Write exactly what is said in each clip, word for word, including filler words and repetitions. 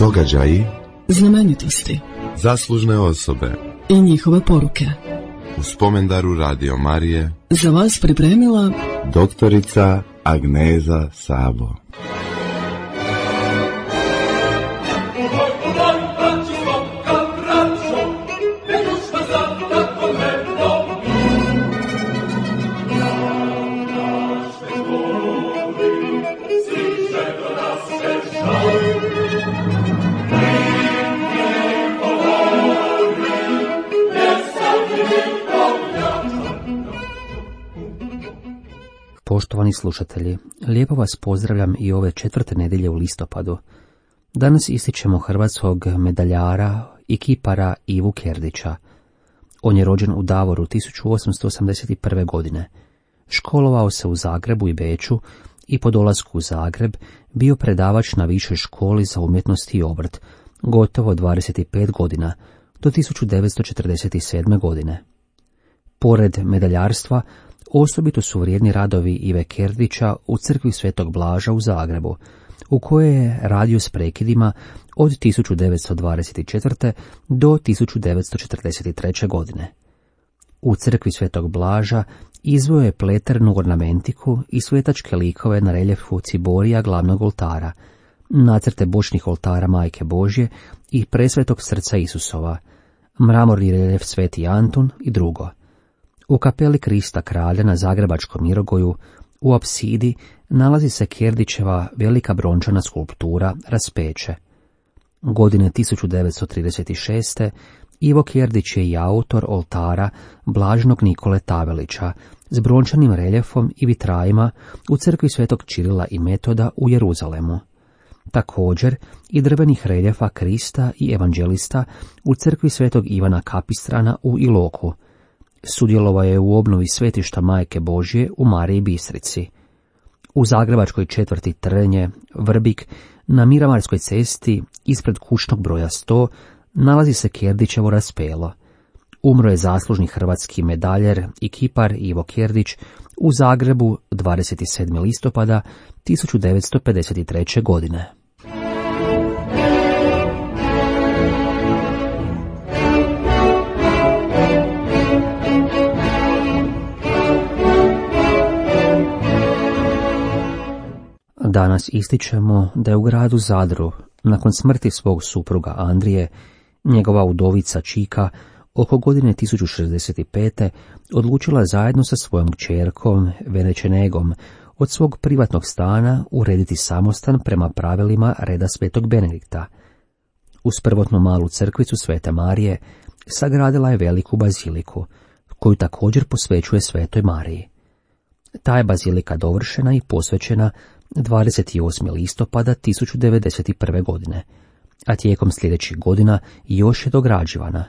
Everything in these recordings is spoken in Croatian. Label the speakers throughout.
Speaker 1: Događaji,
Speaker 2: znamenitosti,
Speaker 1: zaslužne osobe
Speaker 2: i njihove poruke.
Speaker 1: U spomendaru Radio Marije
Speaker 2: Za vas pripremila
Speaker 1: doktorica Agneza Sabo.
Speaker 3: Poštovani slušatelji, lijepo vas pozdravljam i ove četvrte nedjelje u listopadu. Danas ističemo hrvatskog medaljara i kipara Ivu Kerdića. On je rođen u Davoru tisuću osamsto osamdeset prve. godine. Školovao se u Zagrebu i Beču i po dolasku u Zagreb bio predavač na Višoj školi za umjetnost i obrt, gotovo dvadeset pet godina, do tisuću devetsto četrdeset sedme. godine. Pored medaljarstva, osobito su vrijedni radovi Ive Kerdića u crkvi Svetog Blaža u Zagrebu, u kojoj je radio s prekidima od tisuću devetsto dvadeset četvrte. do tisuću devetsto četrdeset treće. godine. U crkvi Svetog Blaža izveo je pleternu ornamentiku i svetačke likove na reljefu ciborija glavnog oltara, nacrte bočnih oltara Majke Božje i presvetog srca Isusova, mramorni reljef Sveti Antun i drugo. U kapeli Krista kralja na Zagrebačkom Mirogoju, u apsidi, nalazi se Kerdićeva velika brončana skulptura Raspeće. Godine tisuću devetsto trideset šeste. Ivo Kerdić je i autor oltara Blaženog Nikole Tavelića s brončanim reljefom i vitrajima u crkvi Svetog Čirila i Metoda u Jeruzalemu. Također i drvenih reljefa Krista i evanđelista u crkvi Svetog Ivana Kapistrana u Iloku. Sudjelovao je u obnovi svetišta Majke Božje u Mariji Bistrici. U zagrebačkoj četvrti Trnje, Vrbik, na Miramarskoj cesti, ispred kućnog broja sto, nalazi se Kerdićevo raspelo. Umro je zaslužni hrvatski medaljer i kipar Ivo Kerdić u Zagrebu dvadeset sedmog listopada tisuću devetsto pedeset treće. godine. Danas ističemo da je u gradu Zadru, nakon smrti svog supruga Andrije, njegova udovica Čika, oko godine tisuću šezdeset pete. odlučila zajedno sa svojom kćerkom Venečenegom od svog privatnog stana urediti samostan prema pravilima reda Svetog Benedikta. Uz prvotnu malu crkvicu Svete Marije sagradila je veliku baziliku, koju također posvećuje Svetoj Mariji. Ta je bazilika dovršena i posvećena dvadeset osmog listopada tisuću devedeset prve. godine, a tijekom sljedećih godina još je dograđivana.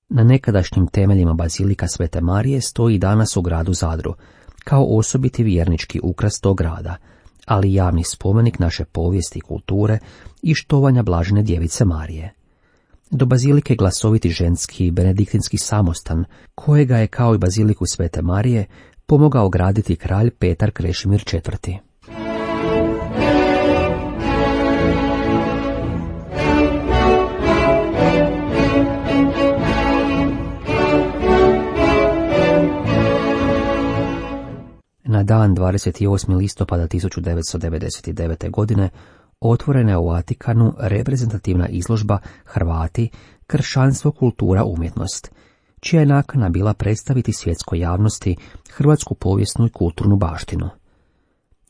Speaker 3: Na nekadašnjim temeljima bazilika Svete Marije stoji danas u gradu Zadru, kao osobiti vjernički ukras tog grada, ali javni spomenik naše povijesti i kulture i štovanja Blažene Djevice Marije. Do bazilike glasoviti ženski benediktinski samostan, kojega je kao i baziliku Svete Marije pomogao graditi kralj Petar Krešimir četvrti. Na dan dvadeset osmog listopada tisuću devetsto devedeset devete. godine otvorena je u Vatikanu reprezentativna izložba Hrvati, kršćanstvo, kultura, umjetnost, čija je nakana bila predstaviti svjetskoj javnosti hrvatsku povijesnu i kulturnu baštinu.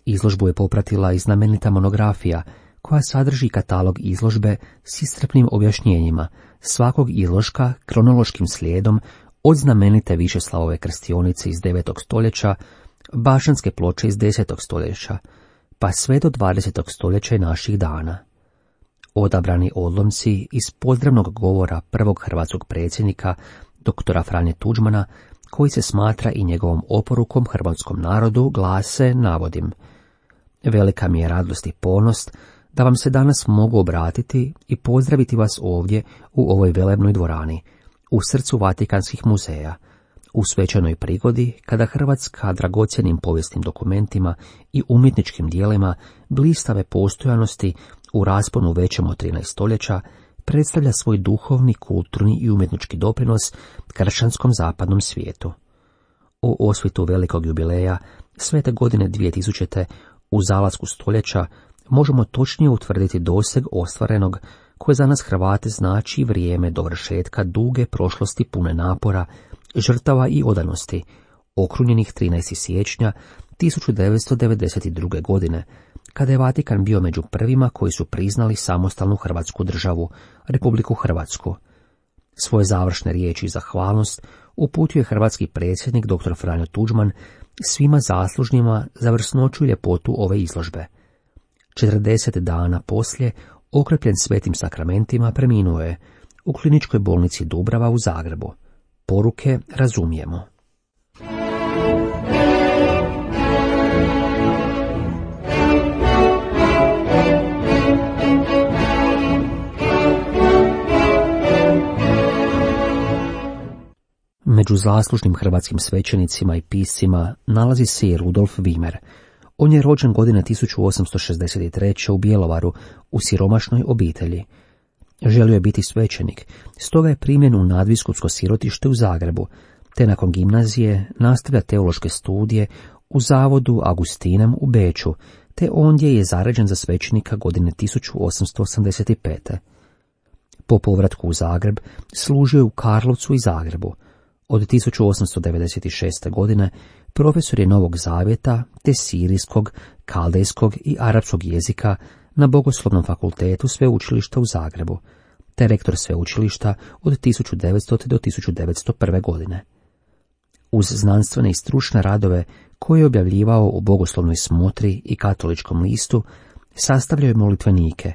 Speaker 3: Izložbu je popratila i znamenita monografija koja sadrži katalog izložbe s iscrpnim objašnjenjima svakog izložka kronološkim slijedom od znamenite Višeslavove krstionice iz devetog stoljeća, Bašćanske ploče iz desetog stoljeća, pa sve do dvadesetog stoljeća i naših dana. Odabrani odlomci iz pozdravnog govora prvog hrvatskog predsjednika, doktora Franje Tuđmana, koji se smatra i njegovom oporukom hrvatskom narodu, glase, navodim: velika mi je radost i ponos da vam se danas mogu obratiti i pozdraviti vas ovdje u ovoj velebnoj dvorani, u srcu Vatikanskih muzeja, u svečanoj prigodi kada Hrvatska dragocjenim povijesnim dokumentima i umjetničkim dijelima blistave postojanosti u rasponu većem od trinaest stoljeća, predstavlja svoj duhovni, kulturni i umjetnički doprinos kršćanskom zapadnom svijetu. O osvitu velikog jubileja, svete godine dvije tisućite, u zalasku stoljeća, možemo točnije utvrditi doseg ostvarenog, koje za nas Hrvate znači vrijeme dovršetka duge prošlosti pune napora, žrtava i odanosti, okrunjenih trinaestog siječnja tisuću devetsto devedeset druge. godine, kada je Vatikan bio među prvima koji su priznali samostalnu Hrvatsku državu, Republiku Hrvatsku. Svoje završne riječi i zahvalnost uputio je hrvatski predsjednik dr. Franjo Tuđman svima zaslužnjima za vrsnoću i ljepotu ove izložbe. četrdeset dana poslije, okrepljen svetim sakramentima, preminuo je u kliničkoj bolnici Dubrava u Zagrebu. Poruke razumijemo. Među zaslužnim hrvatskim svećenicima i piscima nalazi se i Rudolf Wimmer. On je rođen godine tisuću osamsto šezdeset treće. u Bjelovaru u siromašnoj obitelji. Želio je biti svećenik, stoga je primljen u nadbiskupsko sirotište u Zagrebu, te nakon gimnazije nastavlja teološke studije u zavodu Augustinam u Beču, te ondje je zaređen za svećenika godine tisuću osamsto osamdeset pete. Po povratku u Zagreb služio je u Karlovcu i Zagrebu. Od tisuću osamsto devedeset šeste. godine profesor je Novog Zavjeta te sirijskog, kaldejskog i arapskog jezika na Bogoslovnom fakultetu sveučilišta u Zagrebu, te rektor sveučilišta od tisuću devetstote. do tisuću devetsto prve. godine. Uz znanstvene i stručne radove koje je objavljivao u Bogoslovnoj smotri i Katoličkom listu, sastavljao je molitvenike,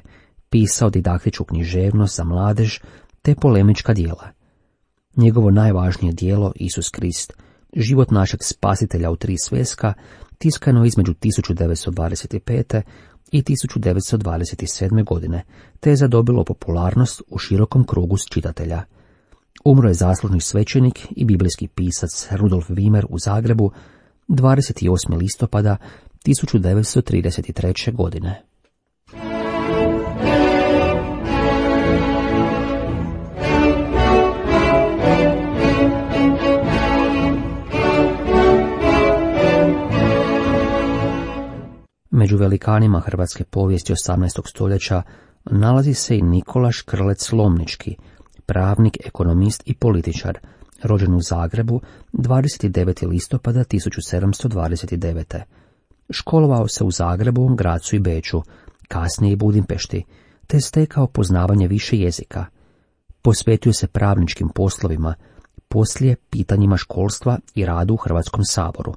Speaker 3: pisao didaktičku književnost za mladež te polemička djela. Njegovo najvažnije djelo, Isus Krist, život našeg spasitelja u tri sveska, tiskano između tisuću devetsto dvadeset pete. i tisuću devetsto dvadeset sedme. godine, te je zadobilo popularnost u širokom krugu čitatelja. Umro je zaslužni svećenik i biblijski pisac Rudolf Wimmer u Zagrebu dvadeset osmog listopada tisuću devetsto trideset treće. godine. Među velikanima hrvatske povijesti osamnaestog stoljeća nalazi se i Nikola Škrlec Lomnički, pravnik, ekonomist i političar, rođen u Zagrebu dvadeset devetog listopada tisuću sedamsto dvadeset devete. Školovao se u Zagrebu, Grazu i Beču, kasnije i Budimpešti, te stekao poznavanje više jezika. Posvetio se pravničkim poslovima, poslije pitanjima školstva i radu u Hrvatskom saboru.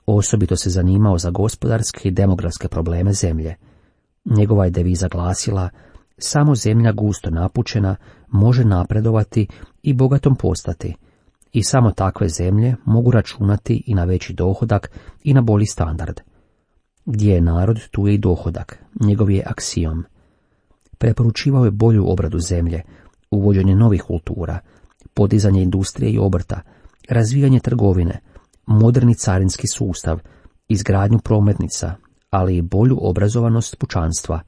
Speaker 3: Osobito se zanimao za gospodarske i demografske probleme zemlje. Njegova je deviza glasila: samo zemlja gusto napučena može napredovati i bogatom postati, i samo takve zemlje mogu računati i na veći dohodak i na bolji standard. Gdje je narod, tu je i dohodak, njegov je aksiom. Preporučivao je bolju obradu zemlje, uvođenje novih kultura, podizanje industrije i obrta, razvijanje trgovine, moderni carinski sustav, izgradnju prometnica, ali i bolju obrazovanost pučanstva.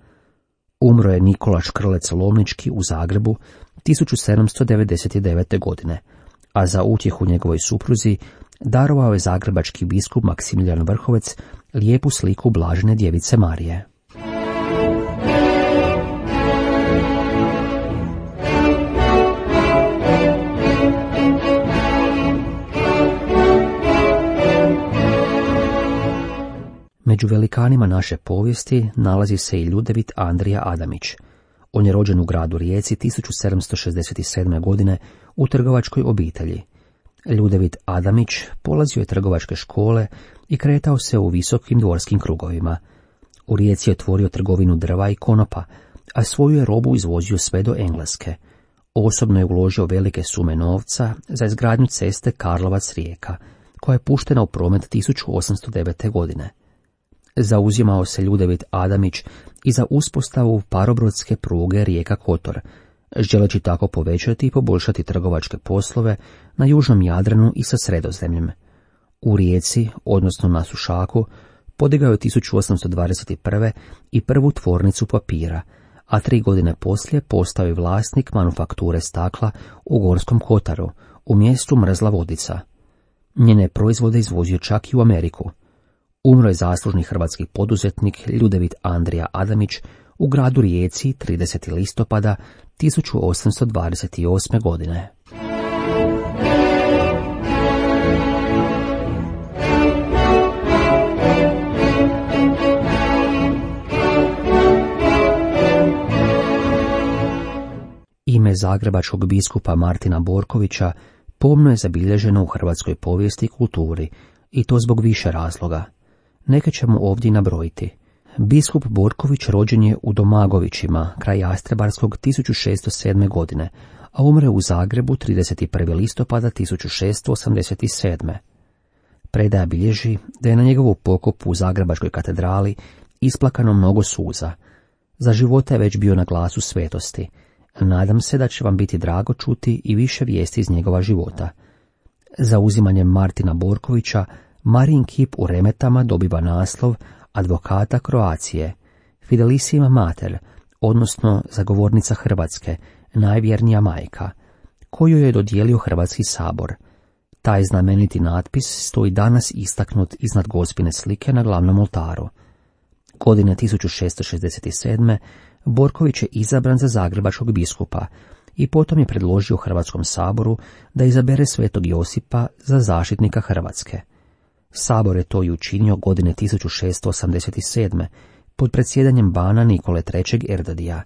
Speaker 3: Umro je Nikola Škrlec Lomnički u Zagrebu tisuću sedamsto devedeset devete. godine, a za utjehu njegovoj supruzi darovao je zagrebački biskup Maksimilijan Vrhovec lijepu sliku Blažene djevice Marije. Među velikanima naše povijesti nalazi se i Ljudevit Andrija Adamić. On je rođen u gradu Rijeci tisuću sedamsto šezdeset sedme. godine u trgovačkoj obitelji. Ljudevit Adamić polazio je trgovačke škole i kretao se u visokim dvorskim krugovima. U Rijeci je otvorio trgovinu drva i konopa, a svoju je robu izvozio sve do Engleske. Osobno je uložio velike sume novca za izgradnju ceste Karlovac-Rijeka, koja je puštena u promet tisuću osamsto devete. godine. Zauzimao se Ljudevit Adamić i za uspostavu parobrodske pruge Rijeka-Kotor, želeći tako povećati i poboljšati trgovačke poslove na južnom Jadranu i sa Sredozemljem. U Rijeci, odnosno na Sušaku, podigao je tisuću osamsto dvadeset prve i prvu tvornicu papira, a tri godine poslije postao je vlasnik manufakture stakla u Gorskom Kotaru, u mjestu Mrzla Vodica. Njene proizvode izvozio čak i u Ameriku. Umro je zaslužni hrvatski poduzetnik Ljudevit Andrija Adamić u gradu Rijeci tridesetog listopada tisuću osamsto dvadeset osme. godine. Ime zagrebačkog biskupa Martina Borkovića pomno je zabilježeno u hrvatskoj povijesti i kulturi, i to zbog više razloga. Neke ćemo ovdje nabrojiti. Biskup Borković rođen je u Domagovićima, kraj Jastrebarskog tisuću šessto sedme. godine, a umre u Zagrebu tridesetog prvog listopada tisuću šessto osamdeset sedme. Predaja bilježi da je na njegovu pokopu u Zagrebačkoj katedrali isplakano mnogo suza. Za života je već bio na glasu svetosti. Nadam se da će vam biti drago čuti i više vijesti iz njegova života. Za uzimanjem Martina Borkovića, Marijin kip u Remetama dobiva naslov advokata Kroacije, Fidelissima Mater, odnosno zagovornica Hrvatske, najvjernija majka, koju je dodijelio Hrvatski sabor. Taj znameniti natpis stoji danas istaknut iznad Gospine slike na glavnom oltaru. Godine tisuću šessto šezdeset sedme. Borković je izabran za zagrebačkog biskupa i potom je predložio Hrvatskom saboru da izabere svetog Josipa za zaštitnika Hrvatske. Sabor je to i učinio godine tisuću šessto osamdeset sedme. pod predsjedanjem bana Nikole trećeg Erdadija.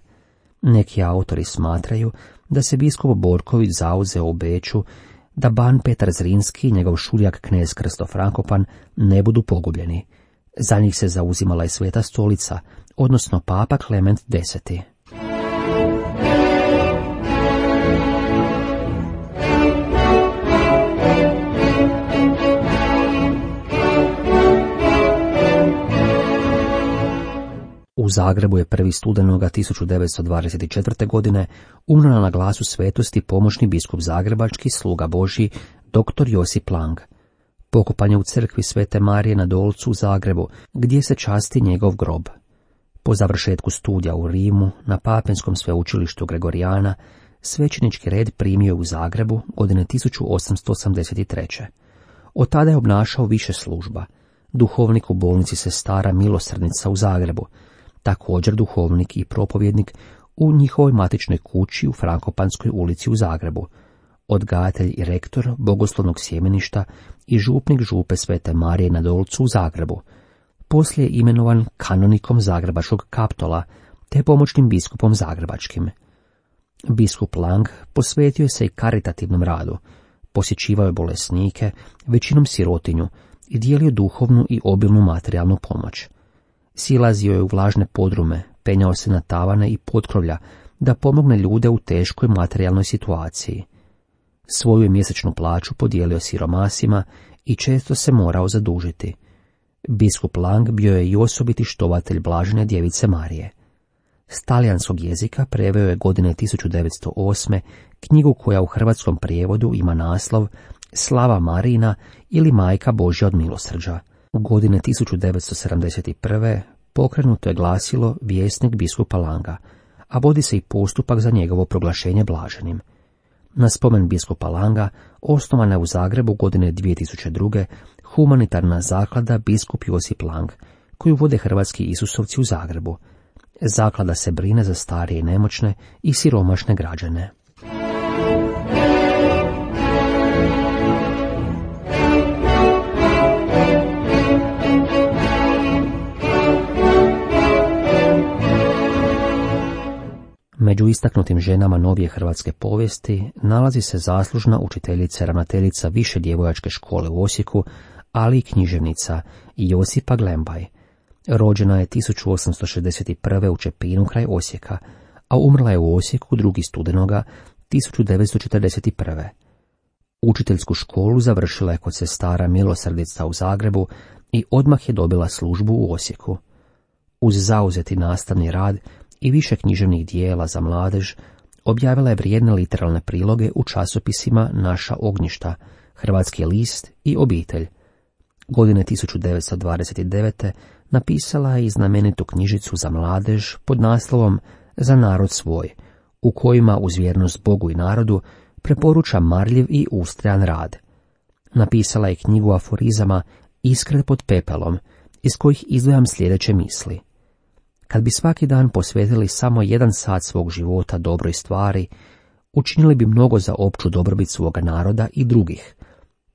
Speaker 3: Neki autori smatraju da se biskup Borković zauzeo u Beču da ban Petar Zrinski i njegov šuljak knez Krsto Frankopan ne budu pogubljeni. Za njih se zauzimala i Sveta stolica, odnosno papa Klement deseti. U Zagrebu je prvi studenoga tisuću devetsto dvadeset četvrte. godine umro na glasu svetosti pomoćni biskup zagrebački, sluga Božji, doktor Josip Lang. Pokopan je u crkvi Svete Marije na Dolcu u Zagrebu, gdje se časti njegov grob. Po završetku studija u Rimu, na Papenskom sveučilištu Gregorijana, svećenički red primio je u Zagrebu godine tisuću osamsto osamdeset treće. Od tada je obnašao više služba. Duhovnik u bolnici Sestara Milosrdnica u Zagrebu, također duhovnik i propovjednik u njihovoj matičnoj kući u Frankopanskoj ulici u Zagrebu, odgajatelj i rektor bogoslovnog sjemeništa i župnik župe Svete Marije na Dolcu u Zagrebu. Poslije je imenovan kanonikom zagrebačkog Kaptola te pomoćnim biskupom zagrebačkim. Biskup Lang posvetio se i karitativnom radu, posjećivao je bolesnike, većinom sirotinju, i dijelio duhovnu i obilnu materijalnu pomoć. Silazio je u vlažne podrume, penjao se na tavane i potkrovlja da pomogne ljude u teškoj materijalnoj situaciji. Svoju je mjesečnu plaću podijelio siromasima i često se morao zadužiti. Biskup Lang bio je i osobiti štovatelj blažene djevice Marije. S talijanskog jezika preveo je godine tisuću devetsto osme. knjigu koja u hrvatskom prijevodu ima naslov Slava Marijina ili Majka Božja od milosrđa. U godine tisuću devetsto sedamdeset prve. pokrenuto je glasilo Vjesnik biskupa Langa, a vodi se i postupak za njegovo proglašenje blaženim. Na spomen biskupa Langa osnovana je u Zagrebu godine dvije tisuće druge. humanitarna zaklada Biskup Josip Lang, koju vode hrvatski Isusovci u Zagrebu. Zaklada se brine za starije i nemoćne i siromašne građane. Među istaknutim ženama novije hrvatske povijesti nalazi se zaslužna učiteljica, ravnateljica više djevojačke škole u Osijeku, ali i književnica Josipa Glembaj. Rođena je tisuću osamsto šezdeset prve. u Čepinu kraj Osijeka, a umrla je u Osijeku drugi studenoga tisuću devetsto četrdeset prve. Učiteljsku školu završila je kod Sestara Milosrdica u Zagrebu i odmah je dobila službu u Osijeku. Uz zauzeti nastavni rad i više književnih dijela za mladež, objavila je vrijedne literarne priloge u časopisima Naša ognjišta, Hrvatski list i Obitelj. Godine tisuću devetsto dvadeset devete. napisala je i znamenitu knjižicu za mladež pod naslovom Za narod svoj, u kojima uz vjernost Bogu i narodu preporuča marljiv i ustrajan rad. Napisala je knjigu aforizama Iskre pod pepelom, iz kojih izdvajam sljedeće misli. Kad bi svaki dan posvetili samo jedan sat svog života dobroj stvari, učinili bi mnogo za opću dobrobit svoga naroda i drugih.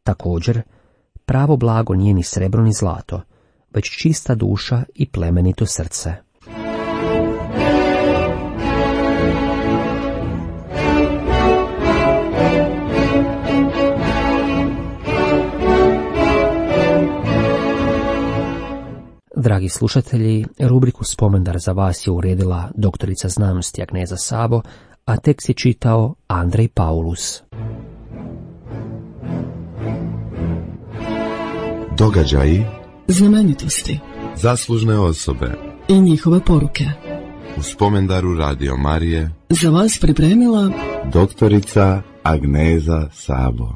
Speaker 3: Također, pravo blago nije ni srebro ni zlato, već čista duša i plemenito srce. Dragi slušatelji, rubriku Spomendar za vas je uredila doktorica znanosti Agneza Sabo, a tekst je čitao Andrej Paulus.
Speaker 1: Događaji,
Speaker 2: znamenitosti
Speaker 1: zaslužne osobe
Speaker 2: i njihove poruke.
Speaker 1: U Spomendaru Radio Marije
Speaker 2: Za vas pripremila
Speaker 1: doktorica Agneza Sabo.